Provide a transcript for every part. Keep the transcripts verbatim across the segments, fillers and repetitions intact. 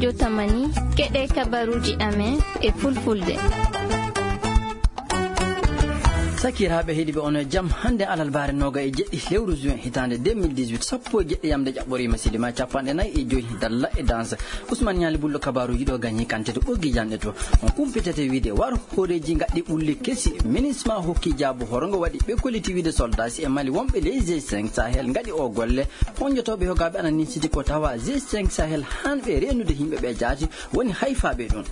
Jotamani, keɗe kabaruuji amen e fulfulde. Sakiraaɓe heɗiiɓe, on e jam. Hannde alarba noogay e jeɗɗi lewru juin hitaande deux mille dix-huit, sappo e jeɗɗi yamde ƴaɓɓoriima, sidima capanɗe nayi e joy dalla e danse. Ousmane Ñaali Bullo, kabaruuji ɗo gañi kante to ɓoggi janɗe to. On kumpitete wiide war hooreeji ngaɗɗi ɓulli kesi. Minisma hokki jaabu horongo waɗi ɓe kolliti wiide soldat si e Mali wonɓe ley G cinq Sahel ngaɗi o golle. Honjotooɓe hogaaɓe ana ninsiti ko tawa G cinq Sahel hanɓe reenude yimɓe ɓe jaati woni hayfaaɓe ɗum.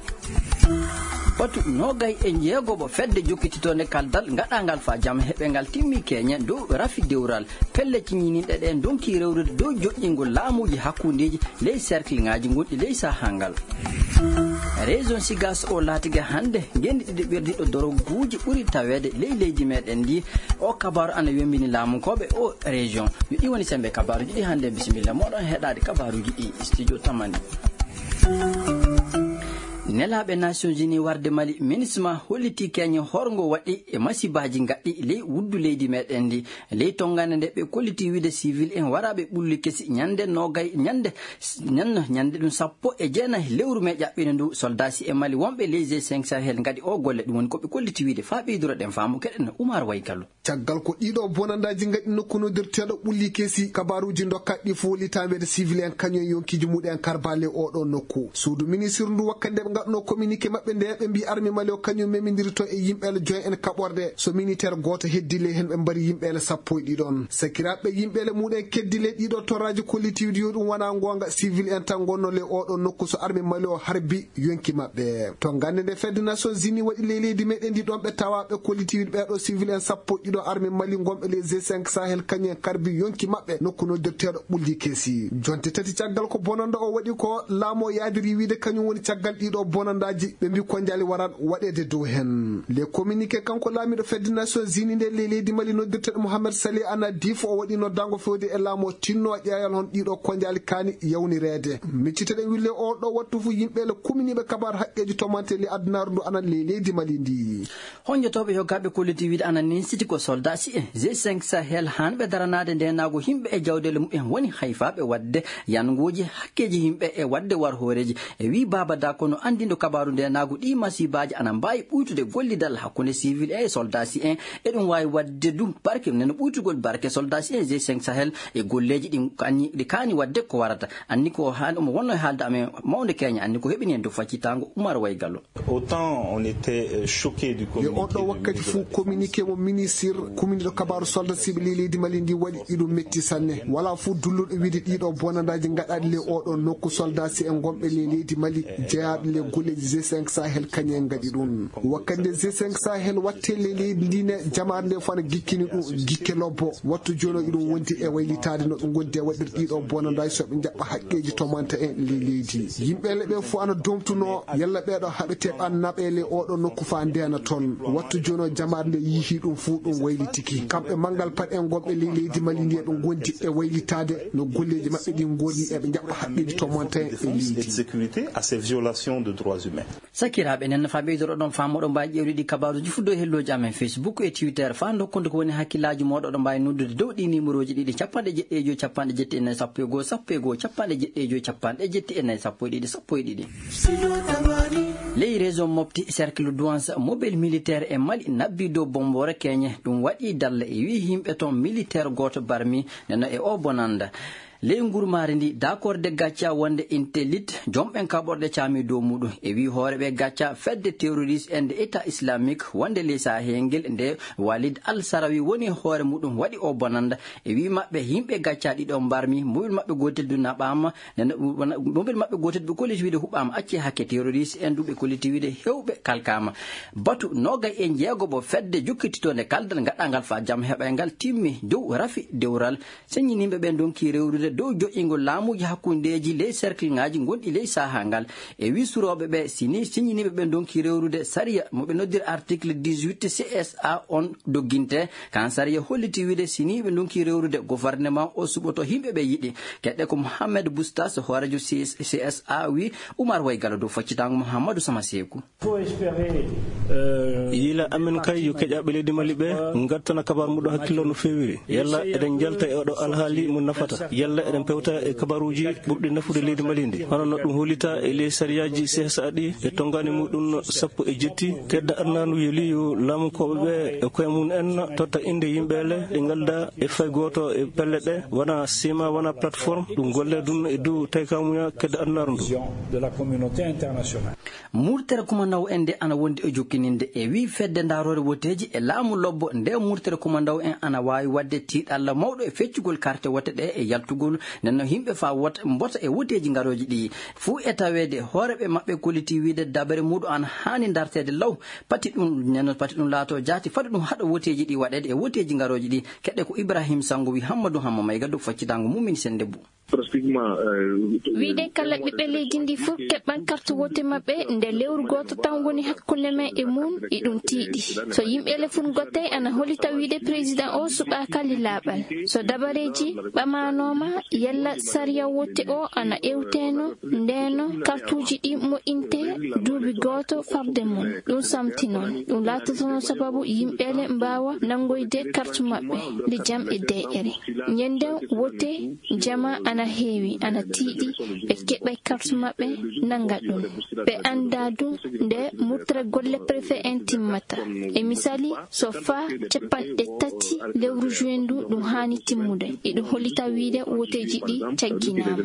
Batu noogay e jeegoɓo fedde jokkititoonde kaldal ngaɗangal fa jam heɓe ngal timmi keñe dow rafi dewral. Pelle ciñininɗe ɗe ndonki rewrude dow joƴƴingol laamuuji hakkundeeji ley cercle ŋaaji gonɗi ley sahaa ngal. Région Sigas o laatike hannde ngenndi ɗiɗi ɓerdiiɗo doroguuji ɓuri taweede ley leydi meɗen ndi. O kabaaru ana wembini laamunkooɓe o région. Yo ɗi woni sembe kabaaruuji ɗi hannde. Bisimilla moɗon heɗaade kabaaruuji ɗi studio Tamani. Nelaaɓe Nations Unies warde Mali, Minisma holliti keñe horgo waɗi e masibaaji ngaɗɗi ley wuddu leydi meɗen ndi. Ley tonngande nde ɓe kolliti wiide civil en waraaɓe ɓulli kesi ñande noogay, ñande, ñande, ñande ɗum sappo e jeenayi lewru me ƴaɓɓine ndu, soldat si e Mali wonɓe ley G cinq Sahel ngaɗi o golle, ɗum woni ko ɓe kolliti wiide. Faa ɓeydoro ɗen faamu keɗen Umar Waygallo. Caggal ko ɗiɗo bonandaaji ngaɗi nokku noddirteeɗo ɓulli kesi, kabaruuji dokkaɗi fof litameede civil en kañum e yonkiiji muɗen karbale oɗo nokku. Suudu ministre ndu wakkati nde ɓe ngaɗno communiqué maɓɓe nde ɓe mbi armi Mali o kañum memindirto e yimɓe ele joy en kaɓorɗe. So militaire gooto heddi ley hen ɓe mbari yimɓe ele sappo e ɗiɗon. Sakiraaɓe yimɓe ele muɗen keddi ley ɗiɗo torraaji kollitiiɗi yo ɗum wona ngoonga civil en tan ngonno ley oɗo nokku so armi Mali o harbi yonki maɓɓe. To gannde nde fedde Nations Unies waɗi ley leydi meɗen ndi ɗon ɓe tawa ɓe kollitiiɗi ɓeɗo civil en sappo e ɗiɗo armi Mali ngonɓe ley G cinq Sahel kañum en karbi yonki maɓɓe nokku noddirteeɗo ɓulli kesi. Jonte tati caggal ko bonanda o waɗi ko laamu o yaadiri wiide kañum woni caggal ɗiɗo bonandaaji ɓe mbi konjaali waran waɗeede dow hen. Le communiqué kanko laamiɗo fedde Nations Unies nde ley leydi Mali noddirteeɗo Mohamed Salih Anadif o waɗi noddango fewde e laamu o tinno ƴeewal hon ɗiɗo konjaali kaani yawnireede. Micciteɗen wille o ɗo wattu fu yimɓe le kuminiiɓe kabar haqqeeji tomante le addunaru ndu anan ley leydi Mali ndi. Honjotooɓe yo gaɓe kolliti wiide ana ninsiti ko soldat si e G cinq Sahel hanɓe daranaade ndenaago yimɓe e jawdeele mumen woni hayfaaɓe waɗde yanngooji hakkeeji yimɓe e waɗde war hooreeji. E wii Baaba Da kono anndindo kabaaru ndenaago ɗi masibaaji ana mbaawi ɓuytude gollidal hakkunde civil e soldat si en. E ɗum waawi waɗde du barke neno ɓuytugol barke soldat si en G cinq Sahel e golleeji ɗi kaani, ɗi kaani waɗde ko warata. Anni ko haali, omo wonno e haalde amen mawnde keña, anni ko heɓini en dow faccitango Umar Waygallo. Autant on était, euh, choqué du communiqué. Yo on ɗo wakkati fuu communiqué mo ministre kuminiɗo kabaaru soldat siɓe ley leydi Mali ndi waɗi iɗum metti sanne. Wala fuu dulluɗo wiide ɗiɗo bonandaaji gaɗaɗi ley oɗo nokku soldat si en gonɓe ley leydi Mali jeyaaɓe ley golleeji G cinq Sahel kañum en gaɗi ɗum. Wakkati nde G cinq Sahel watte ley leydi ndi ne jamaare nde fof ana gikkini ɗum gikke lobbo. Wattu jooni o iɗum wondi e waylitaade no ɓe gondi e waɗir ɗiɗo bonandaaji so ɓe jaɓɓa haqqeeji tomanta en ley leydi. Yimɓe le ɓe fof ana domtuno yalla ɓeɗo haɓete ɓan naɓe ley oɗo nokku fa ndena toon. Wattu jooni o jamaare nde yihi ɗum fuu ɗum waylitiki. Kamɓe manngal paɗ en gonɓe ley leydi Mali ndi eɓe gondi e waylitaade no golleeji maɓɓe ɗi goni eɓe jaɓɓa haqqeeji tomanta en e leydi. Et de sécurité à ces violations de droits humains. Sakiraaɓe, enen no faa ɓeydoro ɗon faamu, oɗon mbaawi ƴeewde ɗi kabaaruuji fuu dow hellooji amen Facebook e Twitter. Faa ndokkude ko woni hakkillaaji mooɗon, oɗon mbaawi noddude dow ɗi nimerooji ɗiɗi, capanɗe jeɗɗi e joy, capanɗe jeɗɗi e nayi, sappo e goo, sappo e goo, capanɗe jeɗɗi e joy, capanɗe jeɗɗi e nayi, sappo e ɗiɗi, sappo e ɗiɗi. Ley région Mopti, cercle Douenza, mobile militaire e Mali nabbi dow Bombore Keñe. Ɗum waɗi dalle e wii yimɓe toon militaire gooto barmi neno e o bonanda. Ley ngurmaari ndi, dakorde gacca wonde Intelit, jomɓen kaɓorɗe caami dow muɗum. E wii hoore ɓe gacca fedde terroriste en nde État Islamique wonde ley Sahel ngel nde Walid Al Sarawi woni hoore muɗum waɗi o bonanda. E wii maɓɓe yimɓe gacca ɗiɗo mbarmi, mobile maɓɓe gootel du naɓaama, nde, nde, wona, mobile maɓɓe gootel ɓe kolliti wiide huɓaama acce hakke terroriste en du ɓe kolliti wiide hewɓe kalkaama. Batu noogay e jeego mo fedde jokkititoonde kaldal gaɗangal faa jam heɓay ngal timmi dow rafi dewral. Seññiniiɓe ɓen ndonki rewrude dow joƴƴingol laamuuji hakkundeeji ley cercle ŋaaji gonɗi ley sahaa ngal. E wii surooɓe ɓe, si nii seññiniiɓe ɓen ndonki rewrude sariya mo ɓe noddiri article dix-huit C S A on dogginte, kan sariya holliti wiide si nii ɓe ndonki rewrude gouvernement o suɓoto yimɓe ɓe yiɗi. Keɗɗe ko Mohamed Boustas, hooreejo C S A wii Umar Waygallo dow faccitaango Mouhamadou Sama Seeku. Yila amen kay yo keƴaaɓe leydi Mali ɓe ngattana kabaar muɗum hakkillo no feewiri. Yalla eɗen njalta e oɗo alhaali mo nafata. Yalla Eɗen pewta e kabaruuji ɓurɗi nafude leydi Mali ndi, hono no ɗum hollita e ley sariyaaji C S A ɗi e tonngaani muɗum sappo e jetti. Kedda adunaaru yeli yo laamu koɓe ɓe e koye mum en totta innde yimɓeele ɗe ngalda e fay gooto e pelle ɗe, wona sima, wona plateforme, ɗum golle ɗum e dow taykamuya kedda adunaaru ndu. Murtere kumandaw en nde ana wondi e jokkininde e wii fedde ndaroore woteeji e laamu lobbo nde murtere kumandaw en ana waawi waɗde tiiɗalla mawɗo e feccugol karte wote ɗe e yaltugol nenno yimɓe faa wota mbota e woteeji ngarooji ɗi. Fuu e taweede hooreeɓe maɓɓe kolliti wiide dabere muɗum ana haani darteede law. Pati ɗum nenno pati ɗum laato jaati fade ɗum haɗa woteeji ɗi waɗeede e woteeji ngarooji ɗi. Keɗe ko Ibrahim Sango wi Hammadu Hamma Mayga dow faccitango mum min sende bu. Wiide kala ɓiɓɓe leydi ndi fof keɓɓan carte wote maɓɓe nde lewru gooto tan woni hakkunde men e mum, iɗum tiiɗi. So yimɓe le fof gottay ana holita wiide président o suɓaaka lilaaɓal. So dabareeji ɓamaanooma, yalla sariya wote o ana ewteeno, ndeeno kartuuji ɗi moƴƴinte duuɓi gooto farde mum. Ɗum samti noon. Ɗum laatotono sababu yimɓe le mbaawa nanngoyde carte maɓɓe, lijam e D R. Ñanden wote jama ana heewi, ana tiiɗi, ɓe keɓay carte maɓɓe, nanga ɗum. Ɓe annda ɗum nde murtere golle préfet en timmata. E misali, so faa capanɗe tati lewru juin ndu ɗum haani timmude. Iɗum hollita wiide woteeji ɗi cagginaama.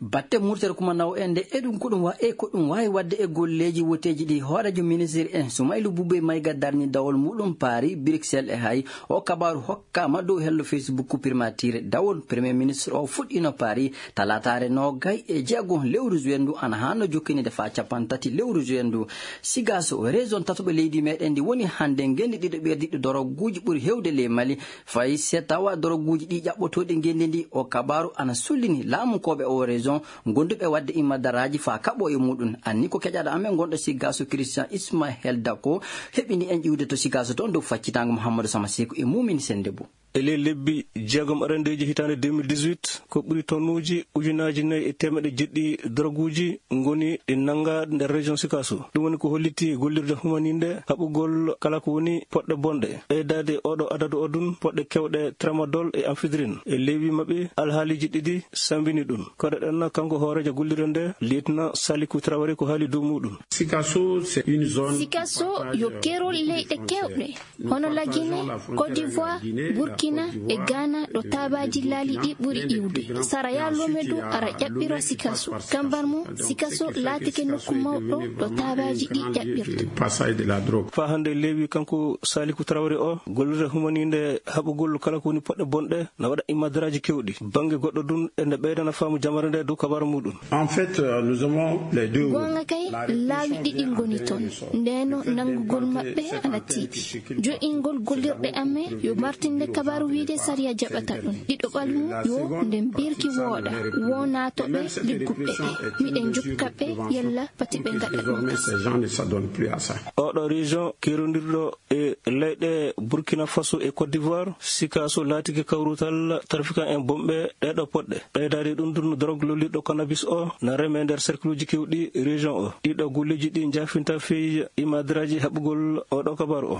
Batte murtere kumandaw en nde e ɗum ko ɗum wa-, e ko ɗum waawi waɗde e golleeji woteeji ɗi. Hooreejo ministre en Soumaïlou Boubèye Maïga darni dawol muɗum Paris, Bruxelles e hay o kabaaru hokkaama dow hello Facebook primature dawol. Premier ministre o fuɗɗiino Paris talaataare noogay e jeego lewru juin ndu ana haano jokkinide faa capantati lewru juin ndu. Sigaso, région tataɓo leydi meɗen ndi woni hannde ngenndi ɗiɗo ɓerdiɗo doroguuji ɓuri hewde ley Mali. Fay se tawa doroguuji ɗi ƴaɓɓotooɗi ngenndi ndi, o kabaaru ana sullini laamu koɓe o région gonduɓe waɗde immadaraaji faa kaɓo e muɗum. Anni ko keƴaɗo amen gonɗo Sigaso Christian Ismaël Dako heɓini en ƴiwde to Sigaso toon dow faccitango Mouhamadou Sama Seku e Mumini Sendebo. E ley lebbi jeegom arandeeji hitaande deux mille dix-huit, ko ɓuri tonnuuji ujunaaji nayi e teemeɗe jeɗɗi doroguuji ngoni ɗi nannga nder région Sikaso. Ɗum woni ko holliti gollirde humaninde haɓugol kala ko woni poɗɗe bonɗe. Ɓeydaade oɗo adadu o ɗum poɗɗe kewɗe tramadol e amphédrine. E lewbi maɓɓe alhaaliji ɗiɗi sambini ɗum. Koɗoɗen kanko hooreejo gollirde nde, lieutenant Saliku Traoré ko haali dow muɗum. Sikaso, c'est une zone Sikaso yo kerol leyɗe kewɗe. Hono Lagine, Côte d'Ivoire, Burkina e Ghana ɗo taabaaji laali ɗi ɓuri iwde. Sara yaa Lomé du ara ƴaɓɓiro Sikaso. Kambar mum, Sikaso laatike nokku mawɗo ɗo taabaaji ɗi ƴaɓɓirta. Passage de la drogue. Faa hannde leewi kanko Saliku Traoré o, gollirde humaninde haɓugol kala ko woni poɗɗe bonɗe, na waɗa immadaraaji kewɗi. Bannge goɗɗo ɗum, ene ɓeydana faamu jamare nde dow kabaaru muɗum. En fait, euh, nous avons les deux. Goonga kay, laawi ɗiɗi ngoni toon. Ndeno nanngugol maɓɓe ana tiiɗi. Jo'ingol gollirɗe amen yo martinde kabaaru wiide sariya jaɓata ɗum. Ɗiɗo ɓalmu yo nde mbirki wooɗa. Wo naatoɓe ligguɓɓe ɓe. Miɗen jokka ɓe yalla pati ɓe ngaɗa ɗum. Ces gens ne s'adonnent plus à ça. Oɗo région kerondirɗo e leyɗe Burkina Faso e Côte d'Ivoire, Sikaso laatike kawrutal trafiquant en bonɓe ɗeɗo poɗɗe. Ɓeydaade ɗum ɗum drogue lollirɗo cannabis o na reme nder cercle uji kewɗi région o. Ɗiɗo golleeji ɗi njaafinta fii imadraaji haɓugol oɗo kabaaru o.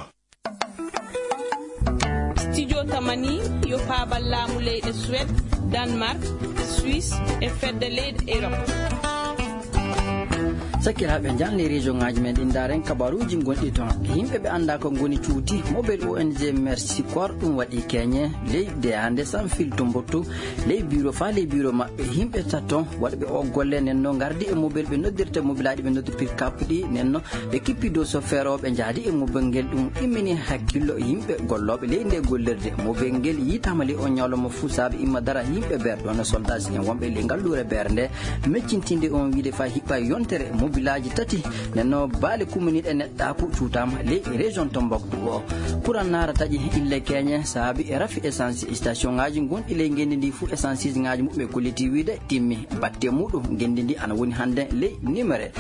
Studio Tamani yo paabal laamu leyɗe Suède, Danemark, Suisse e fedde leyɗe Europe. Sakiraaɓe, njahen ley région ŋaaji men ɗin, ndaaren kabaruuji gonɗi toon. Yimɓe ɓe anndaa ko ngoni cuuti, mobile O N G Mercy Corps ɗum waɗi keñe ley de hannde Sanfil Tombouctou, ley bureau faa ley bureau maɓɓe. Yimɓe tato waɗɓe o golle nen no ngardi e mobile ɓe noddirta mobilaaji ɓe noddi pick-up ɗi nen no ɓe kippi dow so feerooɓe njaadi e mobile ngel. Ɗum immini hakkillo yimɓe gollooɓe ley nde gollirde. Mobile ngel yiitaama ley o ñalawma fuu saabe imma dara yimɓe beer ɗon no soldaaji en wonɓe ley ngalluure beer nde. Meccintinde on wiide faa hiɓɓa yontere mobilaaji tati nenno baale kumminiiɗe neɗɗaaku cuutaama ley région Tombouctou o. Kuran naara taƴi ille keñe saabi e rafi essence station ŋaaji gonɗi ley ngenndi ndi fuu essence ŋaaji muɓɓe kolliti wiide timmi batte muɗum. Ngenndi ndi ana woni hannde ley nimere.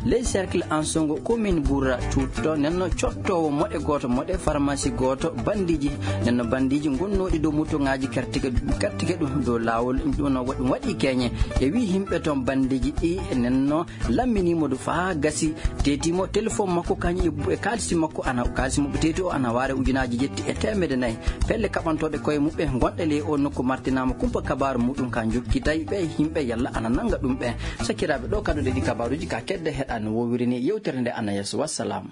Ley cercle Ansongo commune Bourra cuutto nenno cottoowo moɗe gooto moɗe pharmacie gooto bandiiji nenno bandiiji gonnooɗi dow moto ŋaaji kartike kartike ɗum dow laawol ɗum ɗum waɗi keñe. E wii yimɓe toon bandiiji ɗi nenno lammini Modu faa gasi, teetimo telefon makko kañum e bu-, e kaalisi makko ana, kaalisi mo ɓe teeti o ana waare ujunaaji jetti e teemedde nayi. Pelle kaɓantooɗe koye muɓɓe gonɗe ley o nokku martinaama kumpa kabaaru muɗum ka jokkitay ɓe yimɓe yalla ana nannga ɗum ɓe. Sakiraaɓe, ɗo kadi ɗi kabaaruuji ka kedde heɗaani wowiri ni yewtere nde ana yeeso. Wassalam.